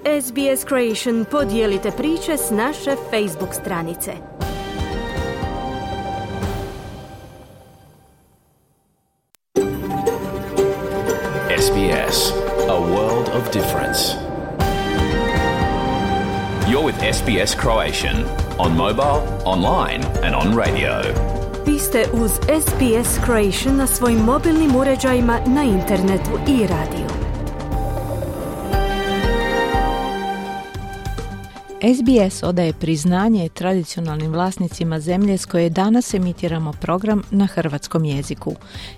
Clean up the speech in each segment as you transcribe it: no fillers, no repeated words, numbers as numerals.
SBS Creation podijelite priče s naše Facebook stranice. SBS, a world of difference. You're with SBS Croatian on mobile, online and on radio. Vi ste uz SBS Croatian na svojim mobilnim uređajima, na internetu i radiju. SBS odaje priznanje tradicionalnim vlasnicima zemlje s koje danas emitiramo program na hrvatskom jeziku.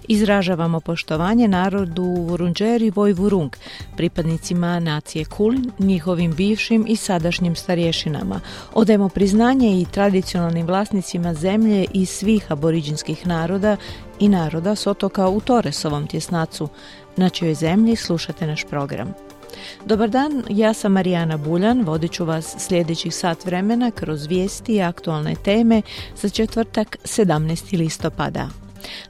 Izražavamo poštovanje narodu Vurundjeri Vojvurung, pripadnicima nacije Kulin, njihovim bivšim i sadašnjim starješinama. Odajemo priznanje i tradicionalnim vlasnicima zemlje i svih aboriđinskih naroda i naroda s otoka u Torresovom tjesnacu. Na čijoj zemlji slušate naš program. Dobar dan, ja sam Marijana Buljan, vodit ću vas sljedećih sat vremena kroz vijesti i aktualne teme za četvrtak 17. listopada.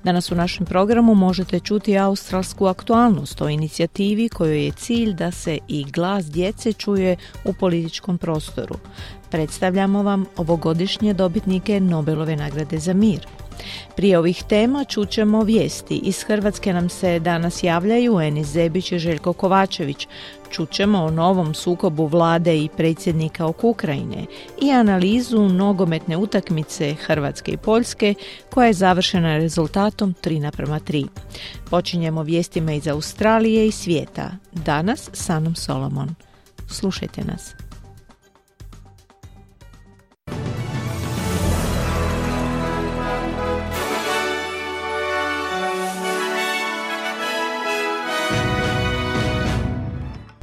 Danas u našem programu možete čuti australsku aktualnost o inicijativi kojoj je cilj da se i glas djece čuje u političkom prostoru. Predstavljamo vam ovogodišnje dobitnike Nobelove nagrade za mir. Prije ovih tema čućemo vijesti. Iz Hrvatske nam se danas javljaju Enis Zebić i Željko Kovačević. Čućemo o novom sukobu vlade i predsjednika oko Ukrajine i analizu nogometne utakmice Hrvatske i Poljske koja je završena rezultatom 3:3. Počinjemo vijestima iz Australije i svijeta. Danas s Anom Solomon. Slušajte nas.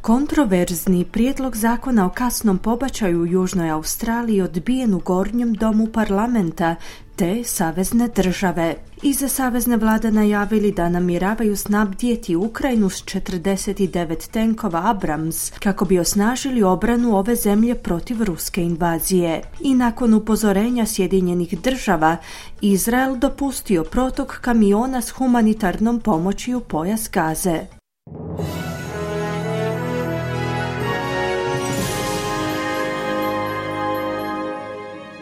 Kontroverzni prijedlog zakona o kasnom pobačaju u Južnoj Australiji odbijen u Gornjem domu parlamenta te savezne države. Iza savezne vlade najavili da namjeravaju snabdjeti Ukrajinu s 49 tenkova Abrams kako bi osnažili obranu ove zemlje protiv ruske invazije. I nakon upozorenja Sjedinjenih država, Izrael dopustio protok kamiona s humanitarnom pomoći u pojas Gaze.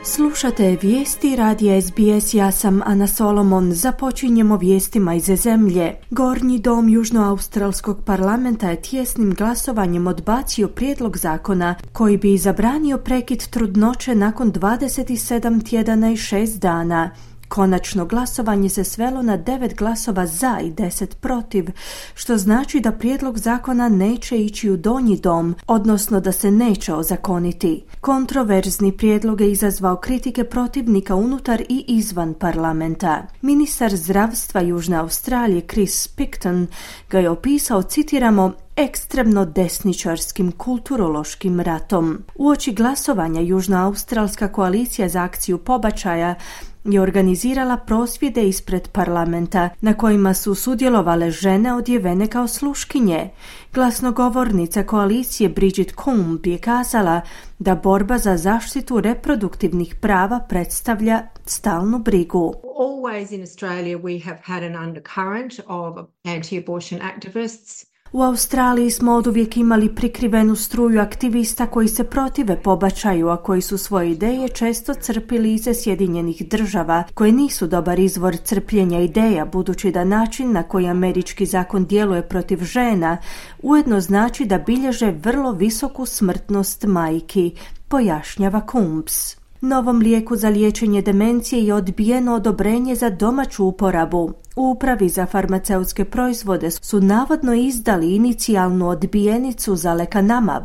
Slušate vijesti radija SBS, ja sam Ana Solomon. Započinjemo vijestima iz zemlje. Gornji dom Južnoaustralskog parlamenta je tjesnim glasovanjem odbacio prijedlog zakona koji bi zabranio prekid trudnoće nakon 27 tjedana i 6 dana. Konačno glasovanje se svelo na 9 glasova za i 10 protiv, što znači da prijedlog zakona neće ići u donji dom, odnosno da se neće ozakoniti. Kontroverzni prijedlog je izazvao kritike protivnika unutar i izvan parlamenta. Ministar zdravstva Južne Australije Chris Picton ga je opisao, citiramo, ekstremno desničarskim kulturološkim ratom. Uoči glasovanja Južnoaustralska koalicija za akciju pobačaja je organizirala prosvjede ispred parlamenta na kojima su sudjelovale žene odjevene kao sluškinje. Glasnogovornica koalicije Bridget Coombe je kazala da borba za zaštitu reproduktivnih prava predstavlja stalnu brigu. Always in Australia we have had an undercurrent of anti-abortion activists. U Australiji smo oduvijek imali prikrivenu struju aktivista koji se protive pobačaju, a koji su svoje ideje često crpili iz Sjedinjenih država, koje nisu dobar izvor crpljenja ideja, budući da način na koji američki zakon djeluje protiv žena ujedno znači da bilježe vrlo visoku smrtnost majki, pojašnjava Coombs. Novom lijeku za liječenje demencije je odbijeno odobrenje za domaću uporabu. U Upravi za farmaceutske proizvode su navodno izdali inicijalnu odbijenicu za lekanamab,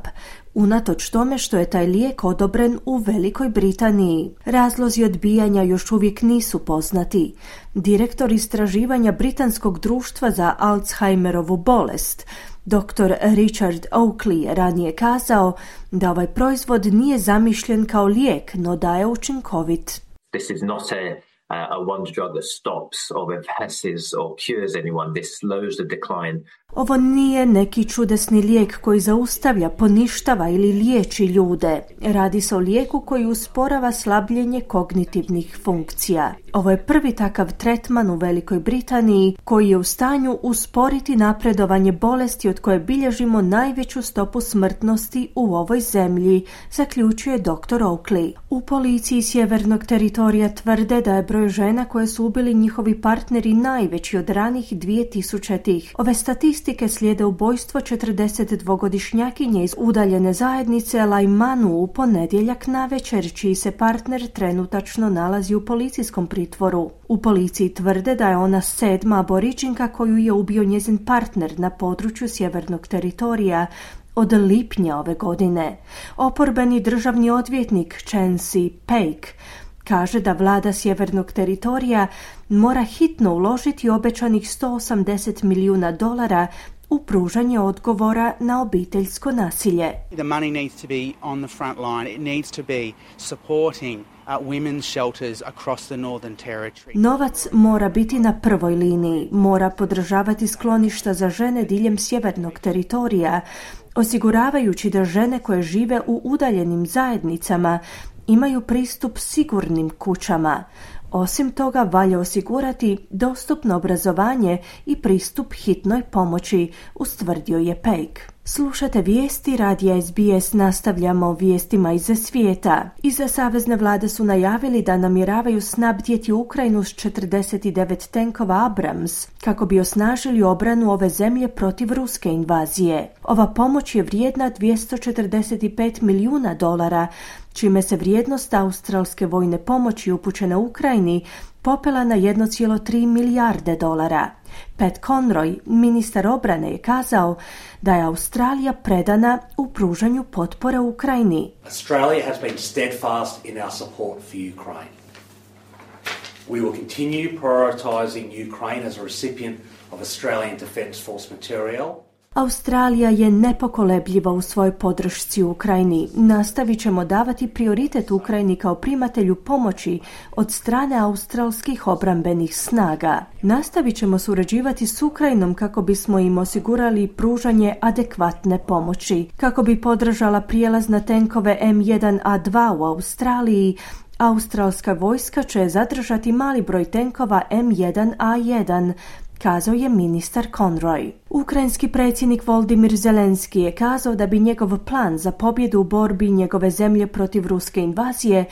unatoč tome što je taj lijek odobren u Velikoj Britaniji. Razlozi odbijanja još uvijek nisu poznati. Direktor istraživanja Britanskog društva za Alzheimerovu bolest, Dr. Richard Oakley, je ranije kazao da ovaj proizvod nije zamišljen kao lijek, no da je učinkovit. This is not one drug that stops or reverses or cures anyone. This slows the decline. Ovo nije neki čudesni lijek koji zaustavlja, poništava ili liječi ljude. Radi se o lijeku koji usporava slabljenje kognitivnih funkcija. Ovo je prvi takav tretman u Velikoj Britaniji koji je u stanju usporiti napredovanje bolesti od koje bilježimo najveću stopu smrtnosti u ovoj zemlji, zaključuje dr. Oakley. U policiji Sjevernog teritorija tvrde da je broj žena koje su ubili njihovi partneri najveći od ranih 2000-ih. Ove statistike slijede ubojstvo 42-godišnjakinje iz udaljene zajednice Laimanu u ponedjeljak navečer, čiji se partner trenutačno nalazi u policijskom pritvoru. U policiji tvrde da je ona 7. aboriđinka koju je ubio njezin partner na području Sjevernog teritorija od lipnja ove godine. Oporbeni državni odvjetnik Chancey Paik kaže da vlada Sjevernog teritorija mora hitno uložiti obećanih $180 milijuna u pružanje odgovora na obiteljsko nasilje. The money needs to be on the front line. It needs to be supporting women's shelters across the Northern Territory. Novac mora biti na prvoj liniji, mora podržavati skloništa za žene diljem Sjevernog teritorija, osiguravajući da žene koje žive u udaljenim zajednicama imaju pristup sigurnim kućama. Osim toga, valja osigurati dostupno obrazovanje i pristup hitnoj pomoći, ustvrdio je Paik. Slušate vijesti radija SBS, nastavljamo vijestima iz svijeta. Iza savezne vlade su najavili da namjeravaju snabdjeti Ukrajinu s 49 tenkova Abrams kako bi osnažili obranu ove zemlje protiv ruske invazije. Ova pomoć je vrijedna $245 milijuna, čime se vrijednost australske vojne pomoći upućene Ukrajini popela na $1,3 milijarde. Pat Conroy, ministar obrane, je kazao da je Australija predana u pružanju potpore Ukrajini. Australia has been steadfast in our support for Ukraine. We will continue prioritizing Ukraine as a recipient of Australian Defence Force material. Australija je nepokolebljiva u svojoj podršci Ukrajini. Nastavit ćemo davati prioritet Ukrajini kao primatelju pomoći od strane australskih obrambenih snaga. Nastavit ćemo surađivati s Ukrajinom kako bismo im osigurali pružanje adekvatne pomoći. Kako bi podržala prijelaz na tenkove M1A2 u Australiji, australska vojska će zadržati mali broj tenkova M1A1, kazao je ministar Conroy. Ukrajinski predsjednik Volodymyr Zelenski je kazao da bi njegov plan za pobjedu u borbi njegove zemlje protiv ruske invazije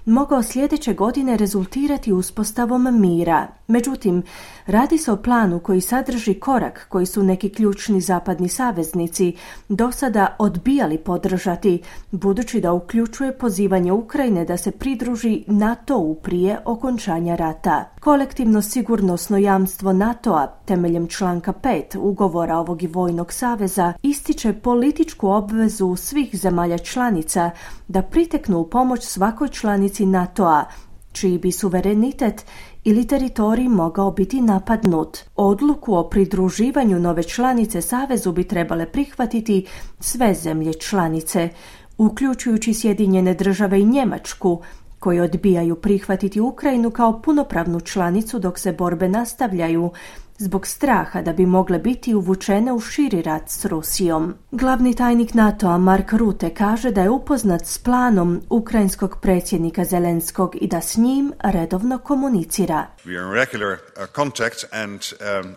mogao sljedeće godine rezultirati uspostavom mira. Međutim, radi se o planu koji sadrži korak koji su neki ključni zapadni saveznici do sada odbijali podržati, budući da uključuje pozivanje Ukrajine da se pridruži NATO-u prije okončanja rata. Kolektivno sigurnosno jamstvo NATO-a temeljem članka 5 ugovora ovog i vojnog saveza ističe političku obvezu svih zemalja članica da priteknu u pomoć svakoj članici NATO-a, čiji bi suverenitet ili teritorij mogao biti napadnut. Odluku o pridruživanju nove članice savezu bi trebale prihvatiti sve zemlje članice, uključujući Sjedinjene Države i Njemačku, koji odbijaju prihvatiti Ukrajinu kao punopravnu članicu dok se borbe nastavljaju, zbog straha da bi mogle biti uvučene u širi rat s Rusijom. Glavni tajnik NATO-a Mark Rutte kaže da je upoznat s planom ukrajinskog predsjednika Zelenskog i da s njim redovno komunicira. We are in regular contact and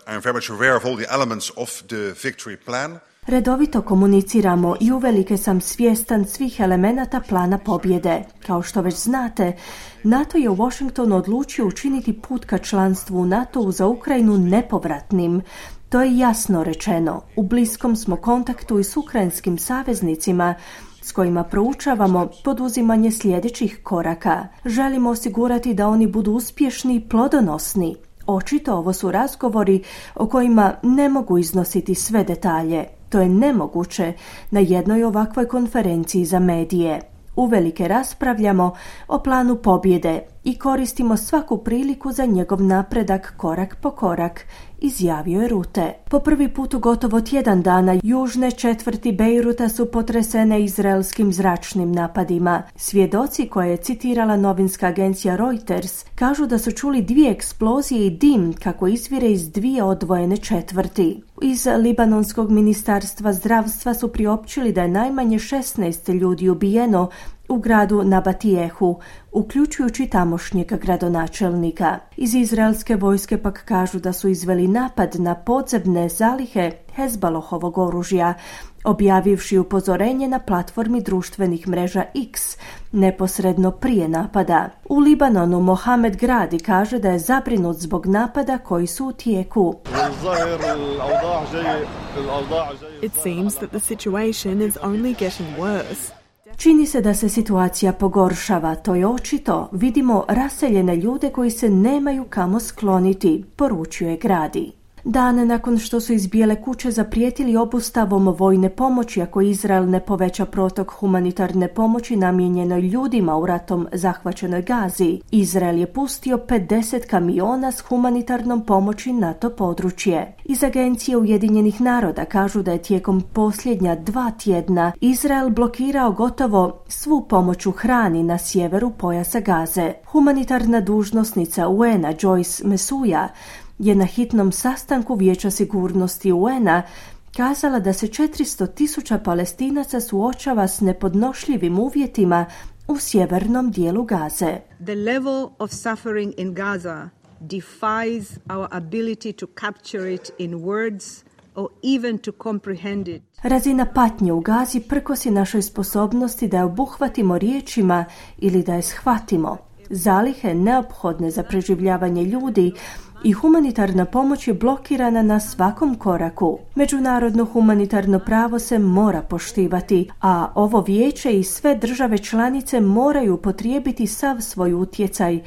I am very much aware of all the elements of the victory plan. Redovito komuniciramo i uvelike sam svjestan svih elemenata plana pobjede. Kao što već znate, NATO je u Washingtonu odlučio učiniti put ka članstvu u NATO-u za Ukrajinu nepovratnim. To je jasno rečeno. U bliskom smo kontaktu i s ukrajinskim saveznicima s kojima proučavamo poduzimanje sljedećih koraka. Želimo osigurati da oni budu uspješni i plodonosni. Očito ovo su razgovori o kojima ne mogu iznositi sve detalje. To je nemoguće na jednoj ovakvoj konferenciji za medije. Uvelike raspravljamo o planu pobjede i koristimo svaku priliku za njegov napredak korak po korak, izjavio je Rute. Po prvi put u gotovo tjedan dana južne četvrti Bejruta su potresene izraelskim zračnim napadima. Svjedoci koje je citirala novinska agencija Reuters kažu da su čuli 2 eksplozije i dim kako izvire iz 2 odvojene četvrti. Iz Libanonskog ministarstva zdravstva su priopćili da je najmanje 16 ljudi ubijeno u gradu Nabatijehu, uključujući tamošnjeg gradonačelnika. Iz izraelske vojske pak kažu da su izveli napad na podzemne zalihe Hezbalohovog oružja, objavivši upozorenje na platformi društvenih mreža X neposredno prije napada. U Libanonu Mohamed Gradi kaže da je zabrinut zbog napada koji su u tijeku. It seems that the situation is only getting worse. Čini se da se situacija pogoršava, to je očito. Vidimo raseljene ljude koji se nemaju kamo skloniti, poručuje Gradi. Dan nakon što su iz Bijele kuće zaprijetili obustavom vojne pomoći ako Izrael ne poveća protok humanitarne pomoći namijenjenoj ljudima u ratom zahvaćenoj Gazi, Izrael je pustio 50 kamiona s humanitarnom pomoći na to područje. Iz Agencije Ujedinjenih naroda kažu da je tijekom posljednja 2 tjedna Izrael blokirao gotovo svu pomoć u hrani na sjeveru pojasa Gaze. Humanitarna dužnosnica UN-a Joyce Msuya je na hitnom sastanku Vijeća sigurnosti UN-a kazala da se 400.000 Palestinaca suočava s nepodnošljivim uvjetima u sjevernom dijelu Gaze. The level of suffering in Gaza defies our ability to capture it in words or even to comprehend it. Razina patnje u Gazi prkosi našoj sposobnosti da je obuhvatimo riječima ili da je shvatimo. Zalihe neophodne za preživljavanje ljudi i humanitarna pomoć je blokirana na svakom koraku. Međunarodno humanitarno pravo se mora poštivati, a ovo vijeće i sve države članice moraju upotrijebiti sav svoj utjecaj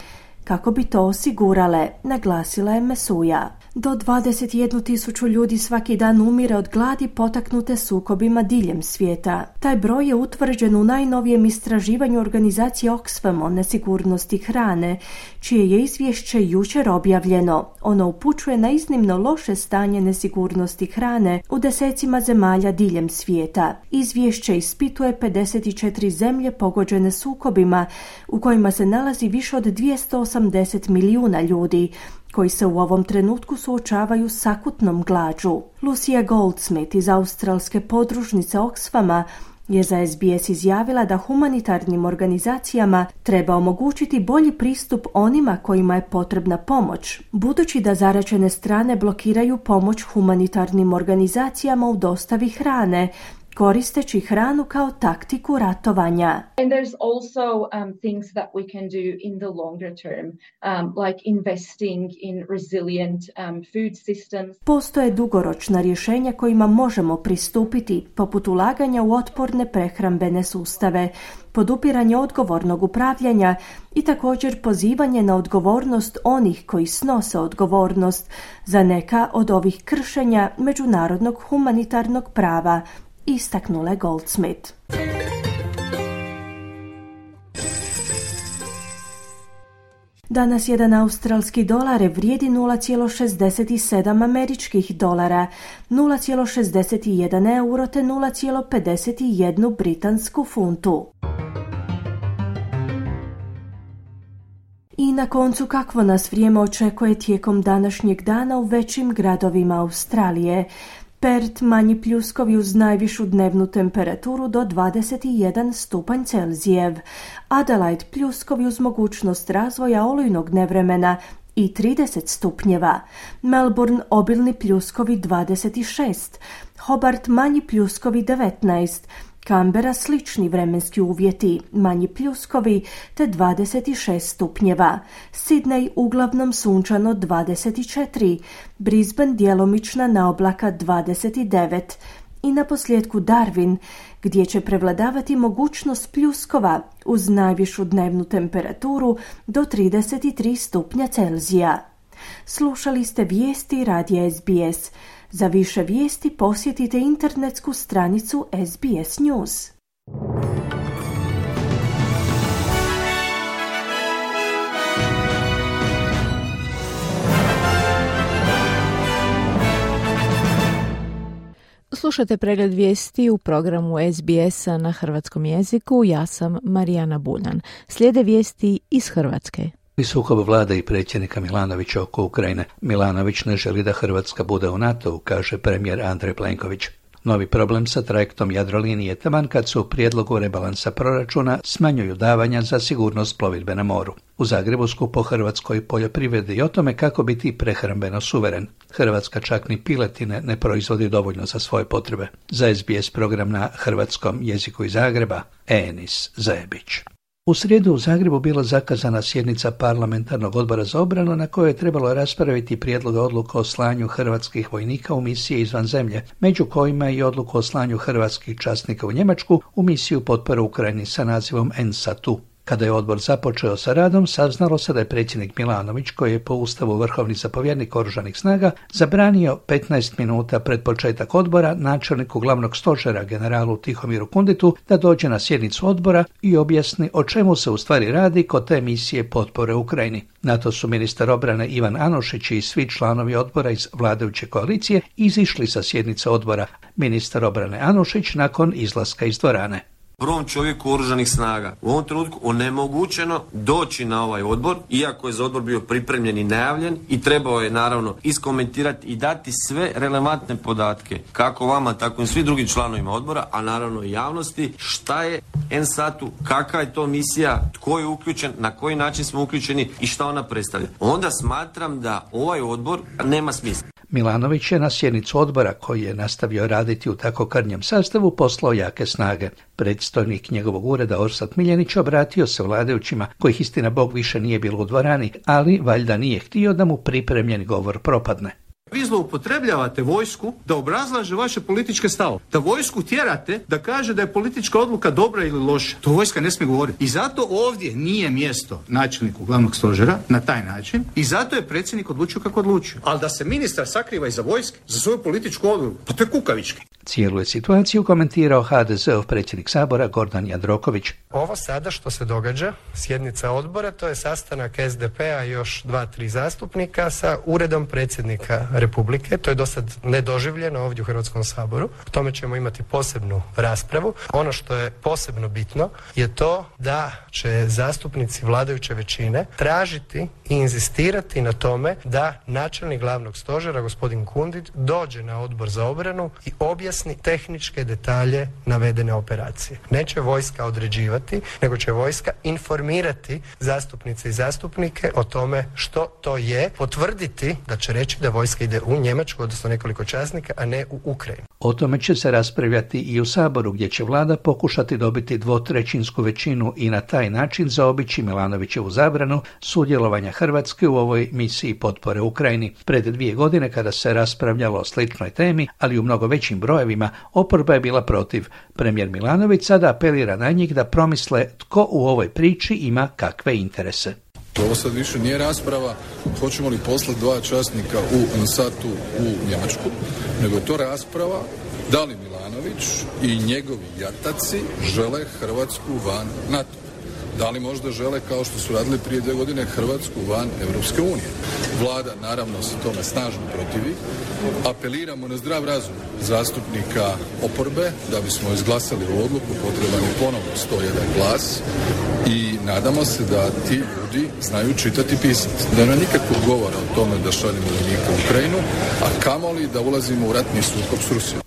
kako bi to osigurale, naglasila je Msuya. Do 21.000 ljudi svaki dan umire od gladi potaknute sukobima diljem svijeta. Taj broj je utvrđen u najnovijem istraživanju organizacije Oxfam o nesigurnosti hrane, čije je izvješće jučer objavljeno. Ono upućuje na iznimno loše stanje nesigurnosti hrane u desecima zemalja diljem svijeta. Izvješće ispituje 54 zemlje pogođene sukobima u kojima se nalazi više od 280 milijuna ljudi, koji se u ovom trenutku suočavaju s akutnom glađu. Lucia Goldsmith iz australske podružnice Oxfama je za SBS izjavila da humanitarnim organizacijama treba omogućiti bolji pristup onima kojima je potrebna pomoć, budući da zaraćene strane blokiraju pomoć humanitarnim organizacijama u dostavi hrane, koristeći hranu kao taktiku ratovanja. And there's also things that we can do in the longer term, like investing in resilient food systems. Postoje dugoročna rješenja kojima možemo pristupiti, poput ulaganja u otporne prehrambene sustave, podupiranje odgovornog upravljanja i također pozivanje na odgovornost onih koji snose odgovornost za neka od ovih kršenja međunarodnog humanitarnog prava, istaknula Goldsmith. Danas jedan australski dolar vrijedi 0,67 američkih dolara, 0,61 euro te 0,51 britansku funtu. I na koncu, kakvo nas vrijeme očekuje tijekom današnjeg dana u većim gradovima Australije. Perth manji pljuskovi uz najvišu dnevnu temperaturu do 21 stupanj Celzijev. Adelaide pljuskovi uz mogućnost razvoja olujnog nevremena i 30 stupnjeva. Melbourne obilni pljuskovi 26. Hobart manji pljuskovi 19. Canberra slični vremenski uvjeti, manji pljuskovi te 26 stupnjeva. Sydney uglavnom sunčano 24. Brisbane djelomična naoblaka 29. I na posljedku Darwin, gdje će prevladavati mogućnost pljuskova uz najvišu dnevnu temperaturu do 33 stupnja Celzija. Slušali ste vijesti radija SBS. Za više vijesti posjetite internetsku stranicu SBS News. Slušate pregled vijesti u programu SBS-a na hrvatskom jeziku. Ja sam Marijana Buljan. Slijede vijesti iz Hrvatske. Sukob vlade i predsjednika Milanovića oko Ukrajine. Milanović ne želi da Hrvatska bude u NATO-u, kaže premijer Andrej Plenković. Novi problem sa trajektom Jadrolinije taman kad se u prijedlogu rebalansa proračuna smanjuju davanja za sigurnost plovidbe na moru. U Zagrebu skup o hrvatskoj poljoprivredi i o tome kako biti prehrambeno suveren. Hrvatska čak ni piletine ne proizvodi dovoljno za svoje potrebe. Za SBS program na hrvatskom jeziku iz Zagreba, Enis Zajebić. U srijedu u Zagrebu bila zakazana sjednica parlamentarnog odbora za obranu na kojoj je trebalo raspraviti prijedlog odluka o slanju hrvatskih vojnika u misije izvan zemlje, među kojima i odluku o slanju hrvatskih časnika u Njemačku u misiju potpore Ukrajini sa nazivom ENSATU. Kada je odbor započeo sa radom, saznalo se da je predsjednik Milanović, koji je po ustavu vrhovni zapovjednik oružanih snaga, zabranio 15 minuta pred početak odbora načelniku glavnog stožera generalu Tihomiru Kunditu da dođe na sjednicu odbora i objasni o čemu se u stvari radi kod te misije potpore Ukrajini. Na to su ministar obrane Ivan Anušić i svi članovi odbora iz vladajuće koalicije izišli sa sjednice odbora. Ministar obrane Anušić nakon izlaska iz dvorane. Prvom čovjeku oružanih snaga u ovom trenutku onemogućeno doći na ovaj odbor, iako je za odbor bio pripremljen i najavljen i trebao je naravno iskomentirati i dati sve relevantne podatke, kako vama, tako i svim drugim članovima odbora, a naravno i javnosti, šta je ENSATU, kakva je to misija, tko je uključen, na koji način smo uključeni i šta ona predstavlja. Onda smatram da ovaj odbor nema smisla. Milanović je na sjednicu odbora, koji je nastavio raditi u tako krnjem sastavu, poslao jake snage. Predstojnik njegovog ureda Orsat Miljenić obratio se vladajućima, kojih istina Bog više nije bilo u dvorani, ali valjda nije htio da mu pripremljen govor propadne. Vi zloupotrebljavate vojsku da obrazlaže vaše političke stavove. Da vojsku tjerate da kaže da je politička odluka dobra ili loša. To vojska ne smije govoriti. I zato ovdje nije mjesto načelniku glavnog stožera na taj način i zato je predsjednik odlučio kako odlučio. Ali da se ministar sakriva iza vojske za svoju političku odluku, pa to je kukavički. Cijelu je situaciju komentirao HDZ-ov predsjednik Sabora Gordan Jandroković. Ovo sada što se događa, sjednica odbora, to je sastanak SDP-a i još 2-3 zastupnika sa uredom predsjednika Republike. To je dosad nedoživljeno ovdje u Hrvatskom saboru. O tome ćemo imati posebnu raspravu. Ono što je posebno bitno je to da će zastupnici vladajuće većine tražiti i inzistirati na tome da načelnik glavnog stožera, gospodin Kundit, dođe na odbor za obranu i objasni tehničke detalje navedene operacije. Neće vojska određivati, nego će vojska informirati zastupnice i zastupnike o tome što to je, potvrditi da će reći da vojska ide u Njemačku, odnosno nekoliko časnika, a ne u Ukrajinu. O tome će se raspravljati i u Saboru, gdje će vlada pokušati dobiti 2/3 većinu i na taj način zaobići Milanovićevu zabranu sudjelovanja Hrvatske u ovoj misiji potpore Ukrajini. Pred 2 godine, kada se raspravljalo o sličnoj temi, ali u mnogo većim brojevima, oporba je bila protiv. Premijer Milanović sada apelira na njih da promisle tko u ovoj priči ima kakve interese. Ovo sad više nije rasprava hoćemo li poslati 2 časnika u ENSATU u Njemačku, nego je to rasprava da li Milanović i njegovi jataci žele Hrvatsku van NATO. Da li možda žele, kao što su radili prije 2 godine, Hrvatsku van Europske unije. Vlada naravno se tome snažno protivi. Apeliramo na zdrav razum zastupnika oporbe da bismo izglasali ovu odluku, potreban je ponovno 101 glas i nadamo se da ti ljudi znaju čitati i pisati. Da nema nikakvog govora o tome da šaljemo vojnike u Ukrajinu, a kamoli da ulazimo u ratni sukob s Rusijom.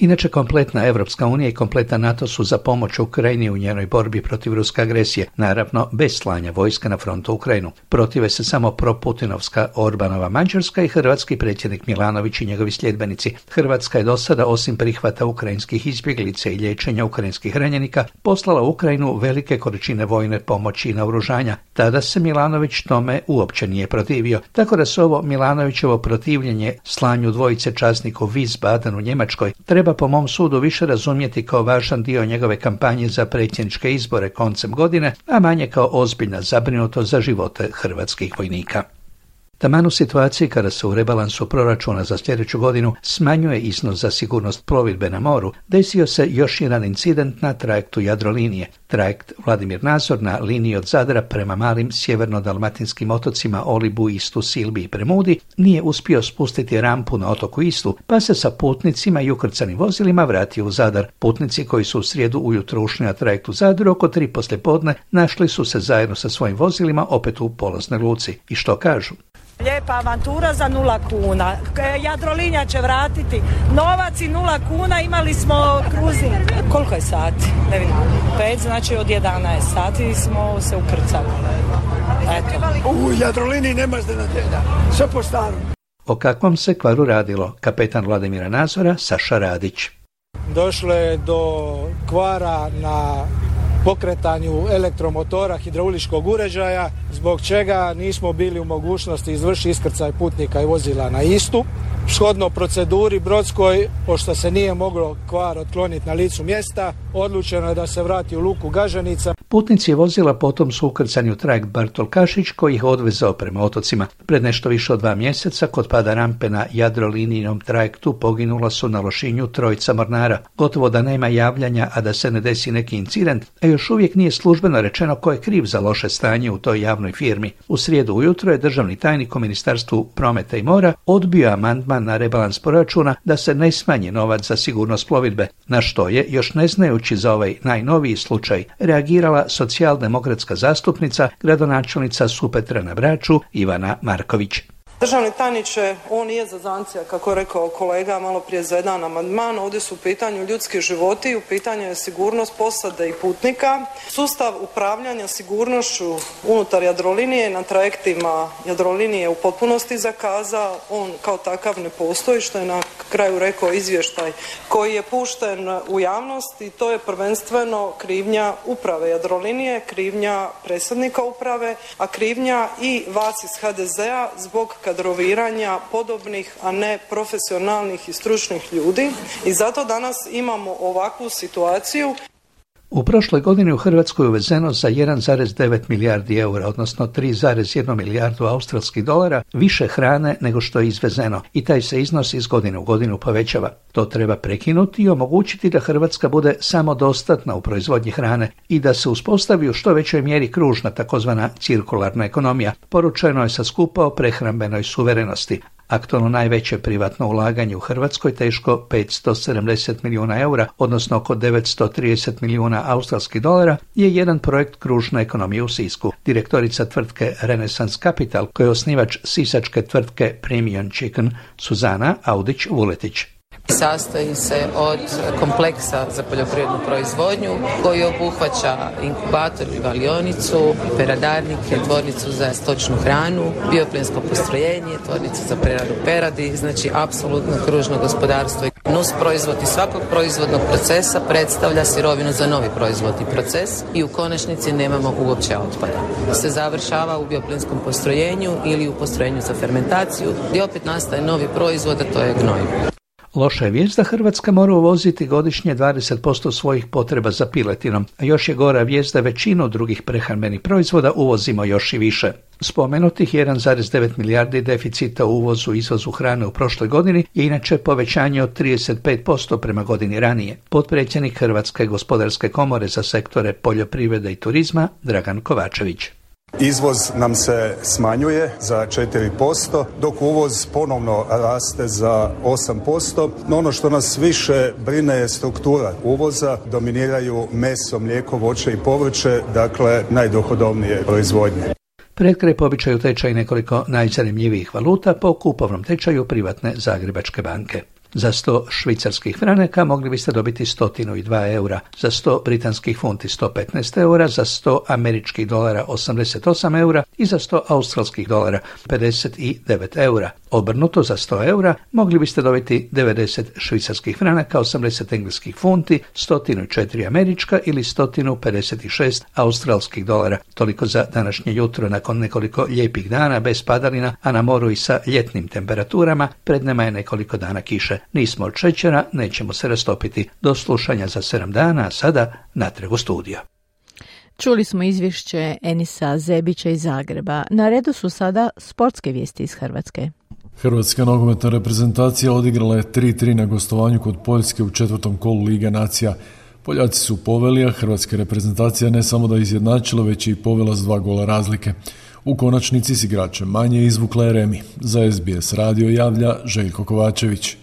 Inače, kompletna Evropska unija i kompletan NATO su za pomoć Ukrajini u njenoj borbi protiv ruske agresije, naravno bez slanja vojska na frontu Ukrajinu. Protive se samo proputinovska Orbanova Mađarska i hrvatski predsjednik Milanović i njegovi sljedbenici. Hrvatska je do sada, osim prihvata ukrajinskih izbjeglica i liječenja ukrajinskih ranjenika, poslala u Ukrajinu velike količine vojne pomoći i naoružanja. Tada se Milanović tome uopće nije protivio, tako da se ovo Milanovićevo protivljenje slanju 2 časnika u Wiesbaden u Njemačkoj treba po mom sudu više razumjeti kao važan dio njegove kampanje za predsjedničke izbore koncem godine, a manje kao ozbiljna zabrinutost za živote hrvatskih vojnika. Taman u situaciji kada se u rebalansu proračuna za sljedeću godinu smanjuje iznos za sigurnost plovidbe na moru, desio se još jedan incident na trajektu Jadrolinije. Trajekt Vladimir Nazor na liniji od Zadra prema malim sjeverno-dalmatinskim otocima Olibu, Istu, Silbi i Premudi nije uspio spustiti rampu na otoku Istu, pa se sa putnicima i ukrcanim vozilima vratio u Zadar. Putnici koji su u srijedu ujutro ušli na trajekt u Zadru oko 3 poslijepodne našli su se zajedno sa svojim vozilima opet u polaznoj luci. I što kažu? Lijepa avantura za 0 kuna. Jadrolinija će vratiti novac i 0 kuna. Imali smo kruzing. Koliko je sati? Ne vidim. 5, znači od 11 sati smo se ukrcali. Eto. U Jadroliniji nema iznenađenja. Sve po starom. O kakvom se kvaru radilo? Kapetan Vladimira Nazora, Saša Radić. Došlo je do kvara na pokretanju elektromotora hidrauličkog uređaja, zbog čega nismo bili u mogućnosti izvršiti iskrcaj putnika i vozila na Istu. Shodno proceduri brodskoj, pošto se nije moglo kvar otkloniti na licu mjesta, odlučeno je da se vrati u luku Gaženica. Putnici vozila potom su ukrcani u trajekt Bartol Kašić koji ih odvezao prema otocima. Pred nešto više od 2 mjeseca kod pada rampe na Jadrolinijnom trajektu poginula su na Lošinju 3 mornara. Gotovo da nema javljanja, a da se ne desi neki incident, a još uvijek nije službeno rečeno ko je kriv za loše stanje u toj javnoj firmi. U srijedu ujutro je državni tajnik u Ministarstvu prometa i mora odbio amandman na rebalans proračuna da se ne smanji novac za sigurnost plovidbe, na što je, još ne znajući za ovaj najnoviji slučaj, reagirala socijaldemokratska zastupnica, gradonačelnica Supetra na Braču, Ivana Marković. Državni tajniče, ovo nije zazancija, kako je rekao kolega malo prije za jedan amandman. Ovdje su u pitanju ljudski životi, u pitanju je sigurnost posade i putnika. Sustav upravljanja sigurnošću unutar Jadrolinije na trajektima Jadrolinije u potpunosti zakazao. On kao takav ne postoji, što je na kraju rekao izvještaj koji je pušten u javnost, i to je prvenstveno krivnja uprave Jadrolinije, krivnja predsjednika uprave, a krivnja i vas iz HDZ-a zbog kadroviranja podobnih, a ne profesionalnih i stručnih ljudi, i zato danas imamo ovakvu situaciju. U prošloj godini u Hrvatskoj je uvezeno za 1,9 milijardi eura, odnosno 3,1 milijardu australskih dolara, više hrane nego što je izvezeno, i taj se iznos iz godine u godinu povećava. To treba prekinuti i omogućiti da Hrvatska bude samodostatna u proizvodnji hrane i da se uspostavi u što većoj mjeri kružna, takozvana cirkularna ekonomija. Poručeno je sa skupa o prehrambenoj suverenosti. Aktualno najveće privatno ulaganje u Hrvatskoj, teško 570 milijuna eura, odnosno oko 930 milijuna australskih dolara, je jedan projekt kružne ekonomije u Sisku. Direktorica tvrtke Renaissance Capital, koja je osnivač sisačke tvrtke Premium Chicken, Suzana Audić-Vuletić. Sastoji se od kompleksa za poljoprivrednu proizvodnju koji obuhvaća inkubator i valionicu, peradarnike, tvornicu za stočnu hranu, bioplinsko postrojenje, tvornicu za preradu peradi, znači apsolutno kružno gospodarstvo. Nus proizvod iz svakog proizvodnog procesa predstavlja sirovinu za novi proizvodni proces i u konačnici nemamo uopće otpada. Se završava u bioplinskom postrojenju ili u postrojenju za fermentaciju, gdje opet nastaje novi proizvod, a to je gnojivo. Loša je vijest da Hrvatska mora uvoziti godišnje 20% svojih potreba za piletinom, a još je gora vijest da većinu drugih prehrambenih proizvoda uvozimo još i više. Spomenutih 1,9 milijardi deficita u uvozu i izvozu hrane u prošloj godini je inače povećanje od 35% prema godini ranije. Potpredsjednik Hrvatske gospodarske komore za sektore poljoprivrede i turizma Dragan Kovačević. Izvoz nam se smanjuje za 4%, dok uvoz ponovno raste za 8%. No ono što nas više brine je struktura uvoza. Dominiraju meso, mlijeko, voće i povrće, dakle najdohodovnije proizvodnje. Pred kraj po običaju tečaj nekoliko najzanimljivijih valuta po kupovnom tečaju privatne Zagrebačke banke. Za 100 švicarskih franaka mogli biste dobiti 102 eura, za 100 britanskih funti 115 eura, za 100 američkih dolara 88 eura i za 100 australskih dolara 59 eura. Obrnuto, za 100 eura mogli biste dobiti 90 švicarskih franaka, 80 engleskih funti, 104 američka ili 156 australskih dolara. Toliko za današnje jutro. Nakon nekoliko lijepih dana bez padalina, a na moru i sa ljetnim temperaturama, pred nama je nekoliko dana kiše. Nismo od šećera, nećemo se rastopiti. Do slušanja za 7 dana, a sada natrag u studio. Čuli smo izvješće Enisa Zebića iz Zagreba. Na redu su sada sportske vijesti iz Hrvatske. Hrvatska nogometna reprezentacija odigrala je 3-3 na gostovanju kod Poljske u 4. kolu Lige nacija. Poljaci su poveli, a hrvatska reprezentacija ne samo da izjednačila, već i povela s 2 gola razlike. U konačnici s igračem manje izvukla je remi. Za SBS radio javlja Željko Kovačević.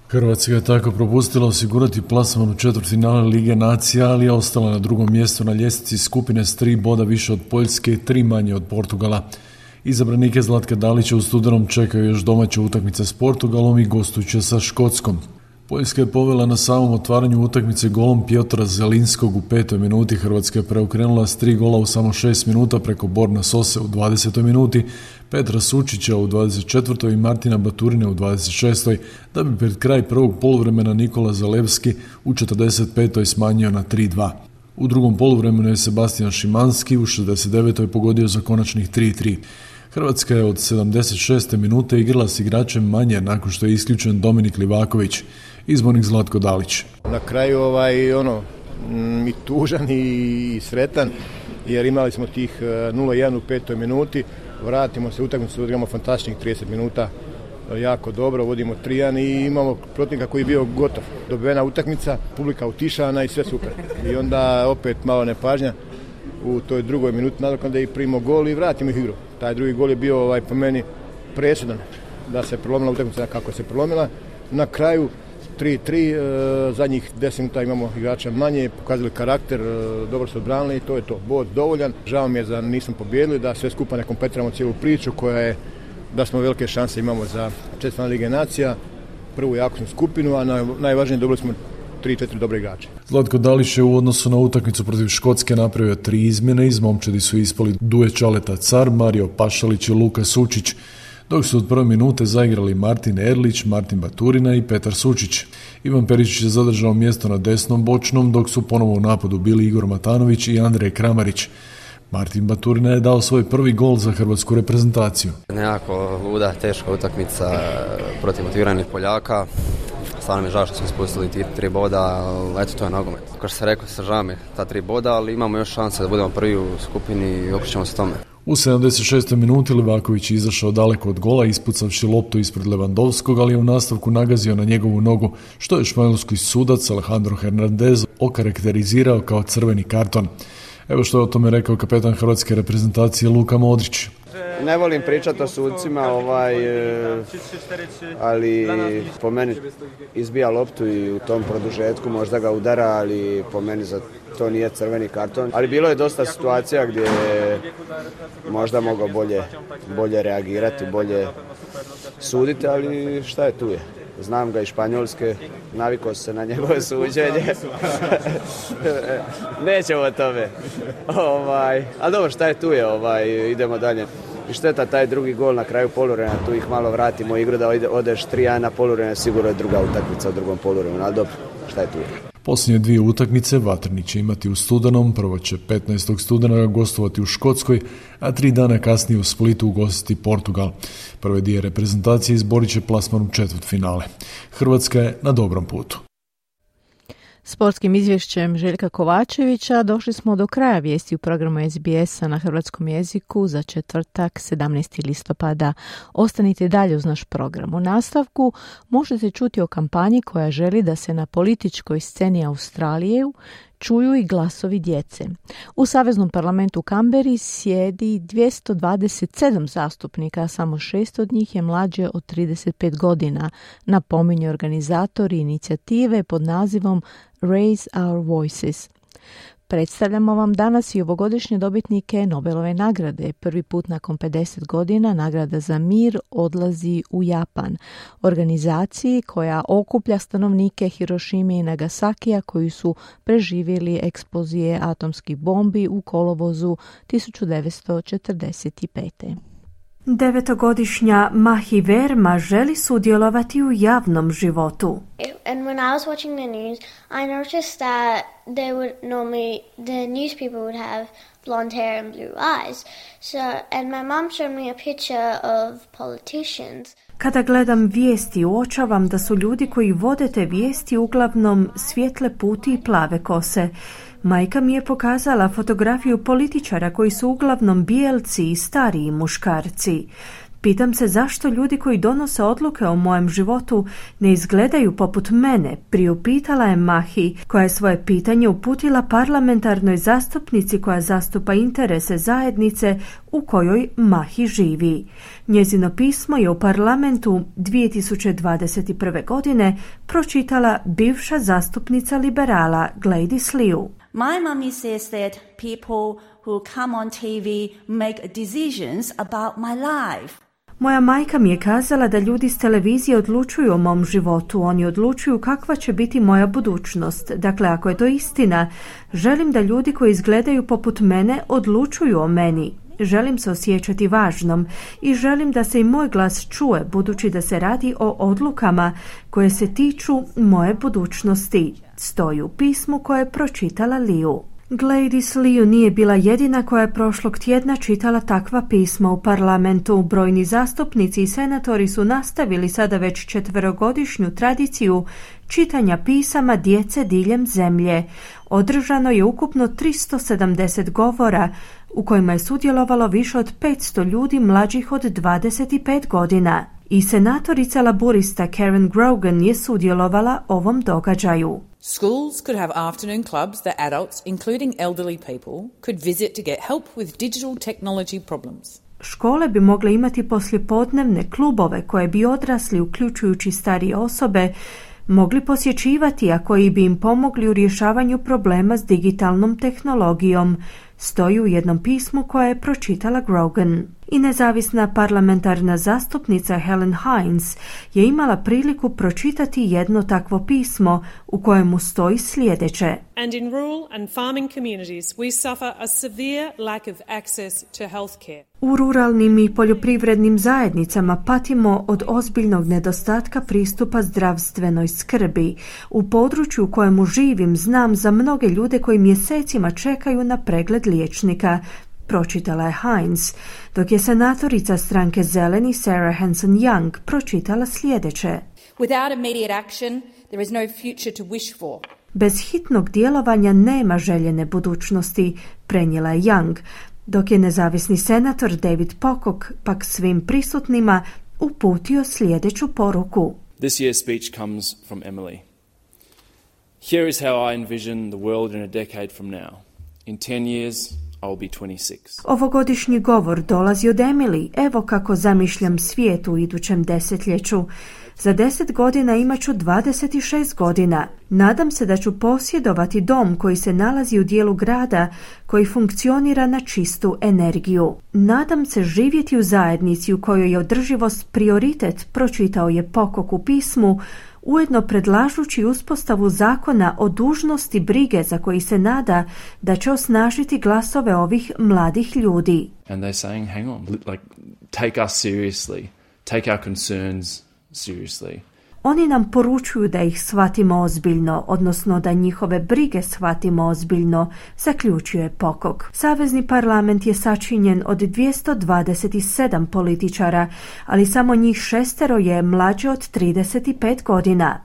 Hrvatska je tako propustila osigurati plasman u četvrtfinale Lige nacija, ali je ostala na drugom mjestu na ljestvici skupine s 3 boda više od Poljske i 3 manje od Portugala. Izabranike Zlatka Dalića u studenom čekaju još domaće utakmice s Portugalom i gostujuće sa Škotskom. Poljska je povela na samom otvaranju utakmice golom Piotra Zelinskog u 5. minuti. Hrvatska je preokrenula s 3 gola u samo 6 minuta preko Borna Sose u 20. minuti, Petra Sučića u 24. i Martina Baturine u 26. da bi pred kraj prvog poluvremena Nikola Zalewski u 45. smanjio na 3-2. U drugom poluvremenu je Sebastian Šimanski u 69. pogodio za konačnih 3-3. Hrvatska je od 76. minute igrala s igračem manje nakon što je isključen Dominik Livaković. Izbornik Zlatko Dalić. Na kraju i tužan i sretan jer imali smo tih 0-1 u 5. minuti. Vratimo se u utakmicu, odigramo fantastičnih 30 minuta. Jako dobro, vodimo 3-1 i imamo protivnika koji je bio gotov. Dobivena utakmica, publika utišana i sve super. I onda opet malo nepažnja u toj drugoj minuti nadoknade i primimo gol i vratimo ih igru. Taj drugi gol je bio po meni presudan da se prelomila utakmica kako se prelomila. Na kraju 3-3, zadnjih 10 minuta imamo igrača manje, pokazali karakter, dobro su odbranili i to je to. Bod dovoljan. Žao mi je da nismo pobijedili, da sve skupa ne kompletiramo cijelu priču koja je da smo velike šanse imamo za četvrtfinale Lige nacija, prvu jakosnu skupinu, a najvažnije dobili smo 3-4 dobre igrače. Zlatko Dalić je u odnosu na utakmicu protiv Škotske napravio 3 izmjene. Iz momčadi su ispali Duje Čaleta Car, Mario Pašalić i Luka Sučić, dok su od prve minute zaigrali Martin Erlić, Martin Baturina i Petar Sučić. Ivan Perišić je zadržao mjesto na desnom bočnom, dok su ponovo u napadu bili Igor Matanović i Andrej Kramarić. Martin Baturina je dao svoj prvi gol za hrvatsku reprezentaciju. Nekako luda, teška utakmica protiv motiviranih Poljaka. Stvarno mi je žao što smo ispustili ti 3 boda, eto to je nogomet. Kao što sam rekao, žao mi ta 3 boda, ali imamo još šanse da budemo prvi u skupini i okrećemo se tome. U 76. minuti Livaković je izašao daleko od gola, ispucavši loptu ispred Levandovskog, ali je u nastavku nagazio na njegovu nogu, što je španjolski sudac Alejandro Hernandez okarakterizirao kao crveni karton. Evo što je o tome rekao kapetan hrvatske reprezentacije Luka Modrić. Ne volim pričati o sucima, ali po meni izbija loptu i u tom produžetku možda ga udara, ali po meni za to nije crveni karton. Ali bilo je dosta situacija gdje je možda mogao bolje reagirati, bolje suditi, ali šta je tu je. Znam ga iz Španjolske, navikao se na njegove suđenje. Nećemo o tome. Ali dobro, šta je tu je, idemo dalje. I šteta taj drugi gol na kraju poluvremena, tu ih malo vratimo igru da odeš 3-1 na poluvremena, sigurno je druga utakmica u drugom poluvremenu, ali dobro, šta je tu je. Posljednje 2 utakmice Vatreni će imati u studenom, prvo će 15. studenoga gostovati u Škotskoj, a 3 dana kasnije u Splitu ugostiti Portugal. Prve 2 reprezentacije izborit će plasman u četvrtfinale. Hrvatska je na dobrom putu. Sportskim izvješćem Željka Kovačevića došli smo do kraja vijesti u programu SBS-a na hrvatskom jeziku za četvrtak 17. listopada. Ostanite dalje uz naš program. U nastavku možete čuti o kampanji koja želi da se na političkoj sceni Australije čuju i glasovi djece. U Saveznom parlamentu u Kamberi sjedi 227 zastupnika, a samo 6 od njih je mlađe od 35 godina, napominju organizatori inicijative pod nazivom Raise Our Voices. Predstavljamo vam danas i ovogodišnje dobitnike Nobelove nagrade. Prvi put nakon 50 godina nagrada za mir odlazi u Japan, organizaciji koja okuplja stanovnike Hirošime i Nagasakija koji su preživjeli eksplozije atomskih bombi u kolovozu 1945. 9-godišnja Mahi Verma želi sudjelovati u javnom životu. And when I was watching the news, I noticed that the news people would have blonde hair and blue eyes. And my mom showed me a picture of politicians. Kada gledam vijesti, uočavam da su ljudi koji vode te vijesti uglavnom svijetle puti i plave kose. Majka mi je pokazala fotografiju političara koji su uglavnom bijelci i stariji muškarci. Pitam se zašto ljudi koji donose odluke o mojem životu ne izgledaju poput mene, priupitala je Mahi, koja je svoje pitanje uputila parlamentarnoj zastupnici koja zastupa interese zajednice u kojoj Mahi živi. Njezino pismo je u parlamentu 2021. godine pročitala bivša zastupnica liberala Gladys Liu. My mommy says that people who come on TV make decisions about my life. Moja majka mi je kazala da ljudi s televizije odlučuju o mom životu, oni odlučuju kakva će biti moja budućnost. Dakle, ako je to istina, želim da ljudi koji izgledaju poput mene odlučuju o meni. Želim se osjećati važnom i želim da se i moj glas čuje, budući da se radi o odlukama koje se tiču moje budućnosti. Stoji u pismu koje je pročitala Liu. Gladys Liu nije bila jedina koja je prošlog tjedna čitala takva pisma u parlamentu. Brojni zastupnici i senatori su nastavili sada već 4-godišnju tradiciju čitanja pisama djece diljem zemlje. Održano je ukupno 370 govora u kojima je sudjelovalo više od 500 ljudi mlađih od 25 godina. I senatorica laburista Karen Grogan je sudjelovala ovom događaju. Schools could have afternoon clubs that adults, including elderly people, could visit to get help with digital technology problems. Škole bi mogle imati poslijepodnevne klubove koje bi odrasli, uključujući starije osobe, mogli posjećivati, a koji bi im pomogli u rješavanju problema s digitalnom tehnologijom, stoji u jednom pismu koje je pročitala Grogan. I nezavisna parlamentarna zastupnica Helen Hines je imala priliku pročitati jedno takvo pismo u kojemu stoji sljedeće. And in rural and farming communities we suffer a severe lack of access to healthcare. U ruralnim i poljoprivrednim zajednicama patimo od ozbiljnog nedostatka pristupa zdravstvenoj skrbi. U području u kojemu živim znam za mnoge ljude koji mjesecima čekaju na pregled liječnika, pročitala je Hines, dok je senatorica stranke Zeleni Sarah Hanson-Young pročitala sljedeće. Without immediate action, there is no future to wish for. Bez hitnog djelovanja nema željene budućnosti, prenijela je Young, dok je nezavisni senator David Pocock pak svim prisutnima uputio sljedeću poruku. This year's speech comes from Emily. Here is how I envision the world in a decade from now. In 10 years, I'll be 26. Ovogodišnji govor dolazi od Emily. Evo kako zamišljam svijet u idućem desetljeću. Za 10 godina imat ću 26 godina. Nadam se da ću posjedovati dom koji se nalazi u dijelu grada koji funkcionira na čistu energiju. Nadam se živjeti u zajednici u kojoj je održivost prioritet, pročitao je Pocock u pismu, ujedno predlažući uspostavu zakona o dužnosti brige za koji se nada da će osnažiti glasove ovih mladih ljudi. And they're saying, hang on, like, take us seriously, take our concerns seriously. Oni nam poručuju da ih shvatimo ozbiljno, odnosno da njihove brige shvatimo ozbiljno, zaključuje Pocock. Savezni parlament je sačinjen od 227 političara, ali samo njih 6 je mlađe od 35 godina.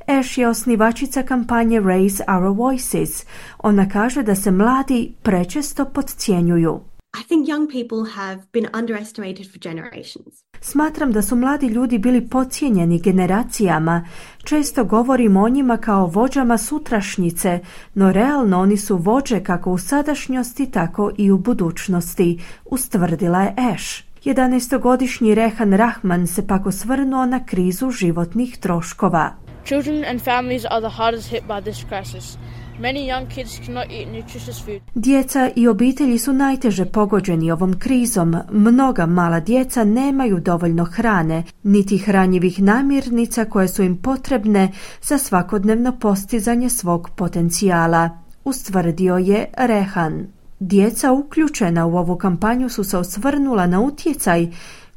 Ash je osnivačica kampanje Raise Our Voices. Ona kaže da se mladi prečesto podcjenjuju. I think young people have been underestimated for generations. Smatram da su mladi ljudi bili podcijenjeni generacijama. Često govorimo o njima kao vođama sutrašnjice, no realno oni su vođe kako u sadašnjosti, tako i u budućnosti, ustvrdila je Ash. 11-godišnji Rehan Rahman se pak osvrnuo na krizu životnih troškova. Children and families are the hardest hit by this crisis. Many young kids cannot eat nutritious food. Djeca i obitelji su najteže pogođeni ovom krizom. Mnoga mala djeca nemaju dovoljno hrane, niti hranjivih namirnica koje su im potrebne za svakodnevno postizanje svog potencijala, ustvrdio je Rehan. Djeca uključena u ovu kampanju su se osvrnula na utjecaj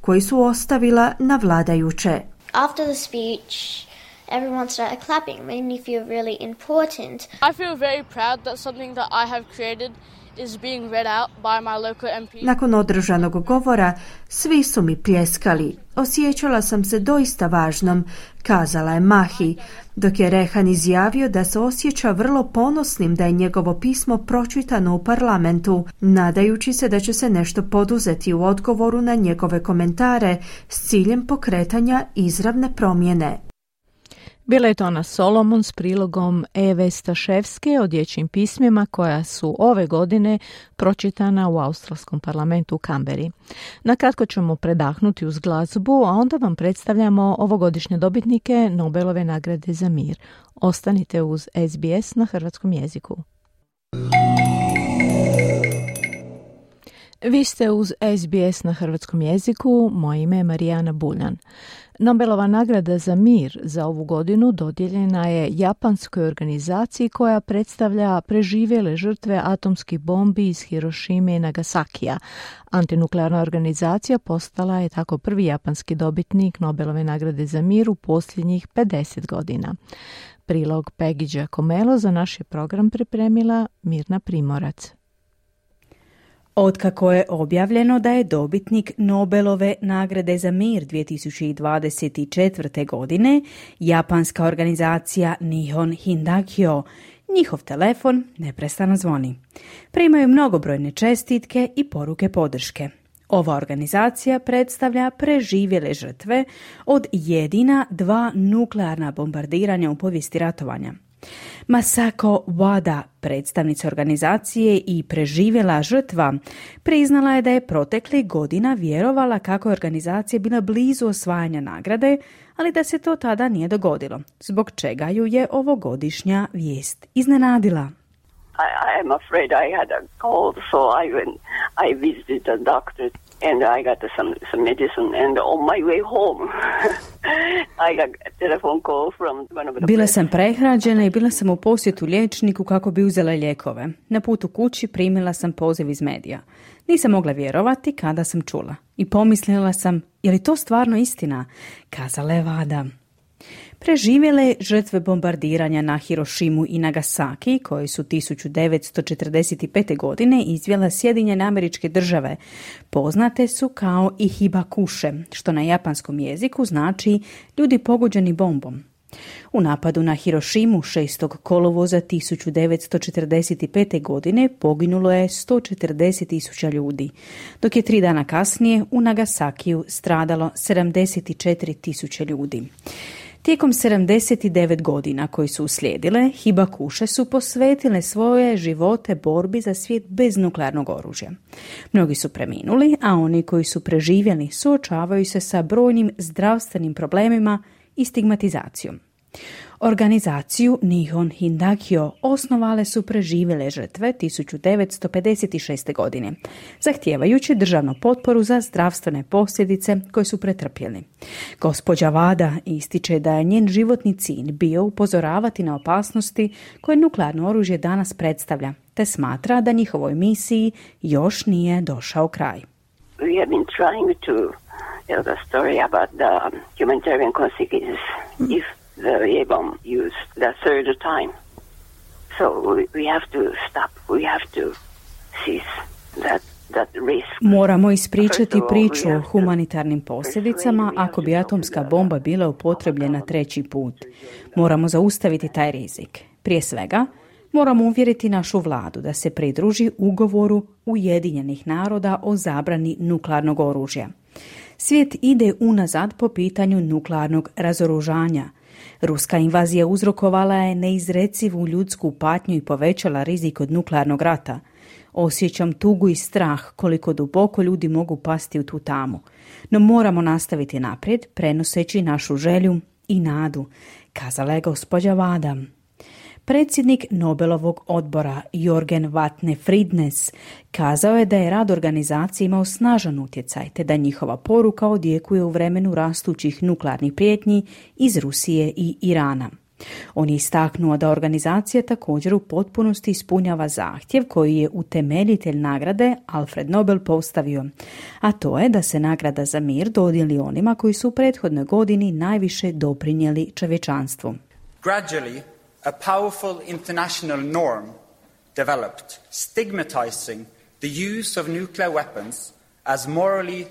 koji su ostavila na vladajuće. After the speech, everyone started clapping. It made me feel really important. I feel very proud that something that I have created is being read out by my local MP. Nakon održanog govora, svi su mi pljeskali. Osjećala sam se doista važnom, kazala je Mahi, dok je Rehan izjavio da se osjeća vrlo ponosnim da je njegovo pismo pročitano u parlamentu, nadajući se da će se nešto poduzeti u odgovoru na njegove komentare s ciljem pokretanja izravne promjene. Bila je to Ana Solomon s prilogom Eve Staševske o dječjim pismima koja su ove godine pročitana u australskom parlamentu u Kamberi. Nakratko ćemo predahnuti uz glazbu, a onda vam predstavljamo ovogodišnje dobitnike Nobelove nagrade za mir. Ostanite uz SBS na hrvatskom jeziku. Vi ste uz SBS na hrvatskom jeziku, moje ime je Marijana Buljan. Nobelova nagrada za mir za ovu godinu dodijeljena je japanskoj organizaciji koja predstavlja preživjele žrtve atomskih bombi iz Hirošime i Nagasakija. Antinuklearna organizacija postala je tako prvi japanski dobitnik Nobelove nagrade za mir u posljednjih 50 godina. Prilog Peggy Giacomello za naš je program pripremila Mirna Primorac. Otkako je objavljeno da je dobitnik Nobelove nagrade za mir 2024. godine japanska organizacija Nihon Hindakyo, njihov telefon neprestano zvoni. Primaju mnogobrojne čestitke i poruke podrške. Ova organizacija predstavlja preživjele žrtve od jedina 2 nuklearna bombardiranja u povijesti ratovanja. Masako Wada, predstavnica organizacije i preživjela žrtva, priznala je da je proteklih godina vjerovala kako je organizacija bila blizu osvajanja nagrade, ali da se to tada nije dogodilo, zbog čega ju je ovogodišnja vijest iznenadila. I am afraid I had a cold, so I visited a doctor and I got some medicine and on my way home I got a telephone call from one of the... Bila sam prehrađena i bila sam u posjetu liječniku kako bi uzela lijekove. Na putu kući primila sam poziv iz medija. Nisam mogla vjerovati kada sam čula. I pomislila sam, je li to stvarno istina? Kazala je Wada. Preživjele žrtve bombardiranja na Hirošimu i Nagasaki, koje su 1945. godine izvela Sjedinjene Američke Države, poznate su kao i hibakuše, što na japanskom jeziku znači ljudi pogođeni bombom. U napadu na Hirošimu 6. kolovoza 1945. godine poginulo je 140.000 ljudi, dok je 3 dana kasnije u Nagasakiju stradalo 74.000 ljudi. Tijekom 79 godina koji su uslijedile, hibakuše su posvetile svoje živote borbi za svijet bez nuklearnog oružja. Mnogi su preminuli, a oni koji su preživjeli suočavaju se sa brojnim zdravstvenim problemima i stigmatizacijom. Organizaciju Nihon Hindakyo osnovale su preživjele žrtve 1956. godine, zahtijevajući državnu potporu za zdravstvene posljedice koje su pretrpjeli. Gospođa Wada ističe da je njen životni cilj bio upozoravati na opasnosti koje nuklearno oružje danas predstavlja, te smatra da njihovoj misiji još nije došao kraj. We have been trying to tell the story about the humanitarian consequences if the A-bomb used the third time. So we have to stop. We have to cease that risk. Moramo ispričati priču o humanitarnim posljedicama ako bi atomska bomba bila upotrebljena 3. put. Moramo zaustaviti taj rizik. Prije svega, moramo uvjeriti našu vladu da se pridruži ugovoru Ujedinjenih naroda o zabrani nuklearnog oružja. Svijet ide unazad po pitanju nuklearnog razoružanja. Ruska invazija uzrokovala je neizrecivu ljudsku patnju i povećala rizik od nuklearnog rata. Osjećam tugu i strah koliko duboko ljudi mogu pasti u tu tamu. No moramo nastaviti naprijed, prenoseći našu želju i nadu, kazala je gospođa Wada. Predsjednik Nobelovog odbora Jorgen Vatne Fridnes kazao je da je rad organizacije imao snažan utjecaj, te da njihova poruka odjekuje u vremenu rastućih nuklearnih prijetnji iz Rusije i Irana. On je istaknuo da organizacija također u potpunosti ispunjava zahtjev koji je utemeljitelj nagrade Alfred Nobel postavio, a to je da se nagrada za mir dodijeli onima koji su u prethodnoj godini najviše doprinijeli čovječanstvu. Gradually, a powerful international norm developed, stigmatizing the use of nuclear weapons as morally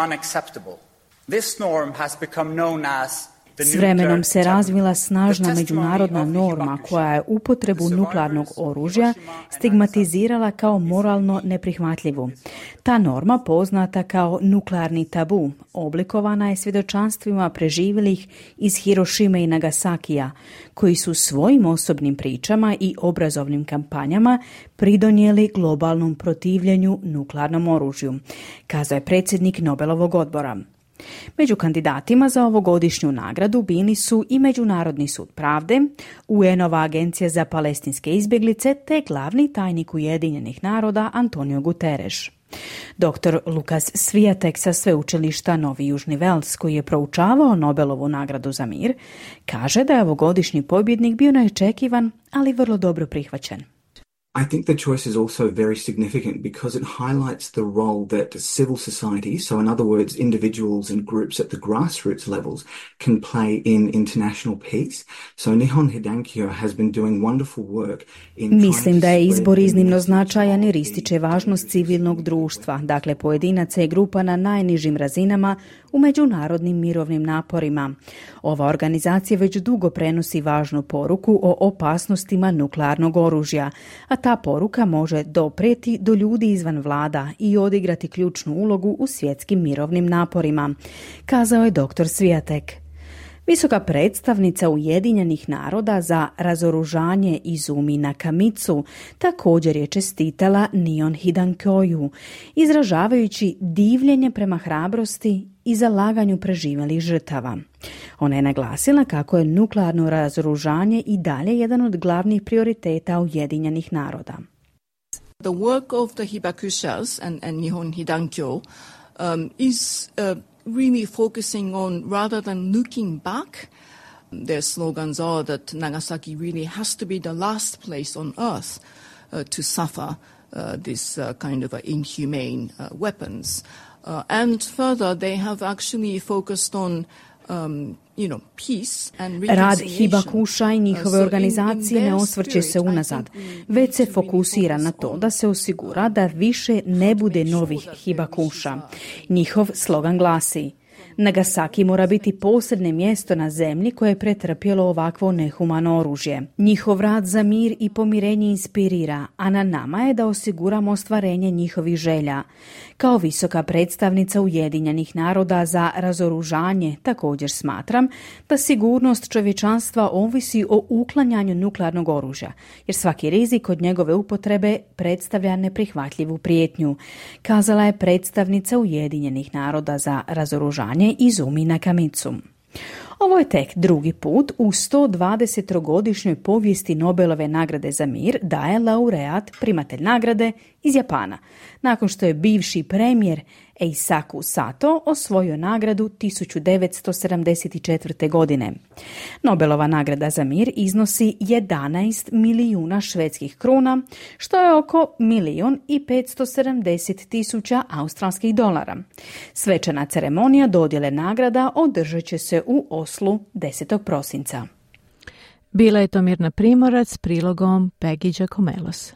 unacceptable. This norm has become known as S vremenom se razvila snažna međunarodna norma koja je upotrebu nuklearnog oružja stigmatizirala kao moralno neprihvatljivu. Ta norma, poznata kao nuklearni tabu, oblikovana je svjedočanstvima preživjelih iz Hirošime i Nagasakija, koji su svojim osobnim pričama i obrazovnim kampanjama pridonijeli globalnom protivljenju nuklearnom oružju, kazao je predsjednik Nobelovog odbora. Među kandidatima za ovogodišnju nagradu bili su i Međunarodni sud pravde, UN-ova agencija za palestinske izbjeglice te glavni tajnik Ujedinjenih naroda Antonio Guterres. Dr. Lukas Swiatek sa sveučilišta Novi Južni Vels, koji je proučavao Nobelovu nagradu za mir, kaže da je ovogodišnji pobjednik bio neočekivan, ali vrlo dobro prihvaćen. I think the choice is also very significant because it highlights the role that civil society, so in other words, individuals and groups at the grassroots levels, can play in international peace. So Nihon Hidankyo has been doing wonderful work in Mislim da je izbor iznimno značajan jer ističe važnost civilnog društva, dakle pojedinaca i grupa na najnižim razinama u međunarodnim mirovnim naporima. Ova organizacija već dugo prenosi važnu poruku o opasnostima nuklearnog oružja, a ta poruka može doprijeti do ljudi izvan vlada i odigrati ključnu ulogu u svjetskim mirovnim naporima, kazao je dr. Swiatek. Visoka predstavnica Ujedinjenih naroda za razoružanje Izumi Nakamitsu također je čestitala Nihon Hidankyoju, izražavajući divljenje prema hrabrosti i zalaganju preživjelih žrtava. Ona je naglasila kako je nuklearno razoružanje i dalje jedan od glavnih prioriteta Ujedinjenih naroda. The work of the Hibakushas and Nihon Hidankyo is really focusing on, rather than looking back, their slogans are that Nagasaki really has to be the last place on earth to suffer this kind of inhumane weapons. And further, they have actually focused on Rad Hibakusha i njihove organizacije ne osvrće se unazad, već se fokusira na to da se osigura da više ne bude novih Hibakusha. Njihov slogan glasi: Nagasaki mora biti posebno mjesto na zemlji koje je pretrpjelo ovakvo nehumano oružje. Njihov rad za mir i pomirenje inspirira, a na nama je da osiguramo ostvarenje njihovih želja. Kao visoka predstavnica Ujedinjenih naroda za razoružanje također smatram da sigurnost čovječanstva ovisi o uklanjanju nuklearnog oružja, jer svaki rizik od njegove upotrebe predstavlja neprihvatljivu prijetnju, kazala je predstavnica Ujedinjenih naroda za razoružanje Izumi Nakamitsu. Ovo je tek drugi put u 120-godišnjoj povijesti Nobelove nagrade za mir da je laureat, primatelj nagrade, iz Japana, nakon što je bivši premijer Eisaku Sato osvojio nagradu 1974. godine. Nobelova nagrada za mir iznosi 11 milijuna švedskih kruna, što je oko 1.570.000 australskih dolara. Svečana ceremonija dodjele nagrada održat će se u Oslu 10. prosinca. Bila je to Mirna Primorac s prilogom Peggy Giacomelos.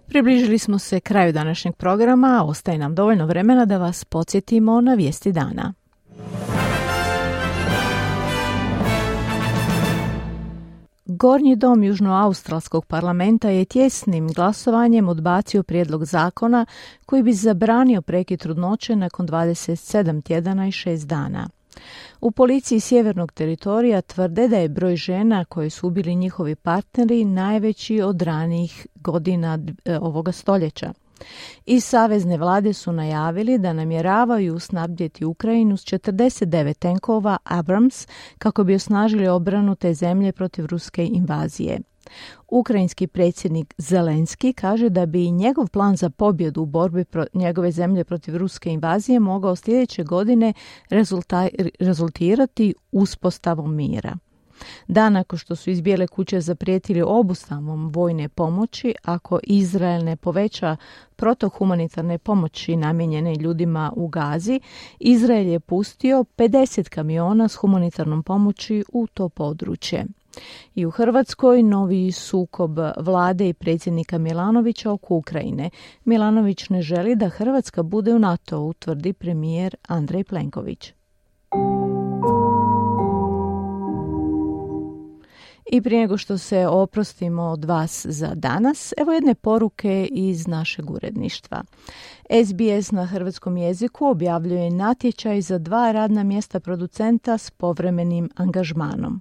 Približili smo se kraju današnjeg programa, a ostaje nam dovoljno vremena da vas podsjetimo na vijesti dana. Gornji dom Južnoaustralskog parlamenta je tjesnim glasovanjem odbacio prijedlog zakona koji bi zabranio prekid trudnoće nakon 27 tjedana i 6 dana. U policiji Sjevernog teritorija tvrde da je broj žena koje su ubili njihovi partneri najveći od ranijih godina ovoga stoljeća. Iz savezne vlade su najavili da namjeravaju snabdjeti Ukrajinu s 49 tenkova Abrams kako bi osnažili obranu te zemlje protiv ruske invazije. Ukrajinski predsjednik Zelenski kaže da bi njegov plan za pobjedu u borbi njegove zemlje protiv ruske invazije mogao sljedeće godine rezultirati uspostavom mira. Dan nakon što su iz Bijele kuće zaprijetili obustavom vojne pomoći, ako Izrael ne poveća protok humanitarne pomoći namijenjene ljudima u Gazi, Izrael je pustio 50 kamiona s humanitarnom pomoći u to područje. I u Hrvatskoj novi sukob vlade i predsjednika Milanovića oko Ukrajine. Milanović ne želi da Hrvatska bude u NATO-u, tvrdi premijer Andrej Plenković. I prije nego što se oprostimo od vas za danas, evo jedne poruke iz našeg uredništva. SBS na hrvatskom jeziku objavljuje natječaj za 2 radna mjesta producenta s povremenim angažmanom.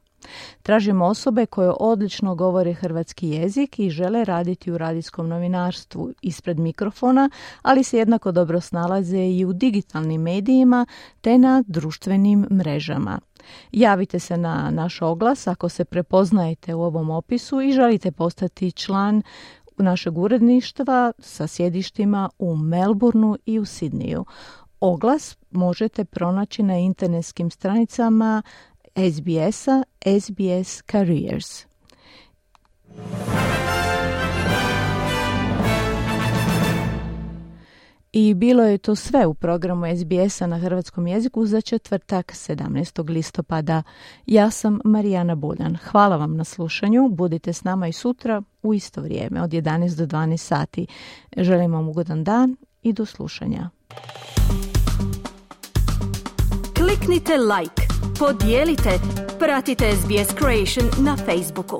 Tražimo osobe koje odlično govore hrvatski jezik i žele raditi u radijskom novinarstvu ispred mikrofona, ali se jednako dobro snalaze i u digitalnim medijima te na društvenim mrežama. Javite se na naš oglas ako se prepoznajete u ovom opisu i želite postati član našeg uredništva sa sjedištima u Melbourneu i u Sidneju. Oglas možete pronaći na internetskim stranicama SBS-a, SBS Careers. I bilo je to sve u programu SBS-a na hrvatskom jeziku za četvrtak 17. listopada. Ja sam Marijana Buljan. Hvala vam na slušanju. Budite s nama i sutra u isto vrijeme od 11 do 12 sati. Želim vam ugodan dan i do slušanja. Kliknite like, podijelite, pratite SBS Creation na Facebooku.